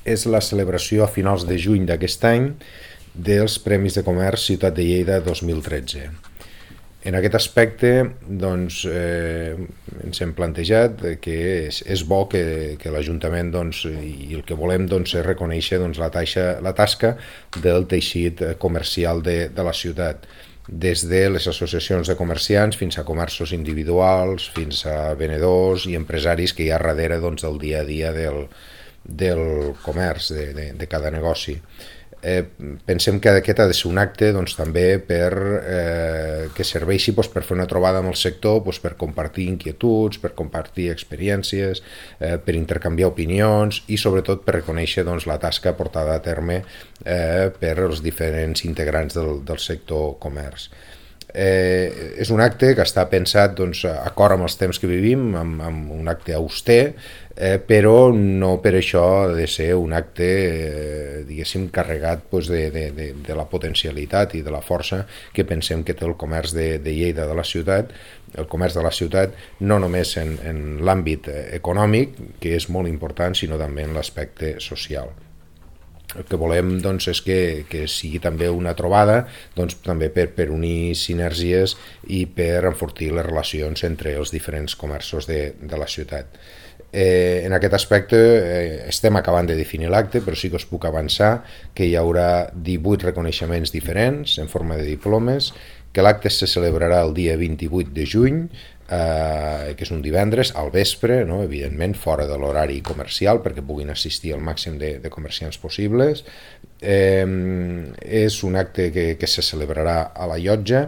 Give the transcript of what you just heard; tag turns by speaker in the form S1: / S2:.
S1: és la celebració a finals de juny d'aquest any dels Premis de Comerç Ciutat de Lleida 2013. En aquest aspecte doncs, ens hem plantejat que és bo que l'Ajuntament i el que volem és reconèixer la tasca del teixit comercial de la ciutat, des de les associacions de comerciants fins a comerços individuals, fins a venedors i empresaris que hi ha darrere del dia a dia del comerç, de cada negoci. Pensem que aquest ha de ser un acte també que serveixi per fer una trobada amb el sector, per compartir inquietuds, per compartir experiències, per intercanviar opinions i sobretot per reconèixer la tasca portada a terme per els diferents integrants del sector comerç. És un acte que està pensat acord amb els temps que vivim, amb un acte auster, però no per això ha de ser un acte diguéssim carregat de la potencialitat i de la força que pensem que té el comerç de Lleida, de la ciutat, el comerç de la ciutat, no només en l'àmbit econòmic, que és molt important, sinó també en l'aspecte social. El que volem és que sigui també una trobada també per unir sinergies i per enfortir les relacions entre els diferents comerços de la ciutat. En aquest aspecte estem acabant de definir l'acte, però sí que us puc avançar que hi haurà 18 reconeixements diferents en forma de diplomes, que l'acte se celebrarà el dia 28 de juny, que és un divendres, al vespre, no? Evidentment fora de l'horari comercial perquè puguin assistir el màxim de comerciants possibles. És un acte que se celebrarà a la llotja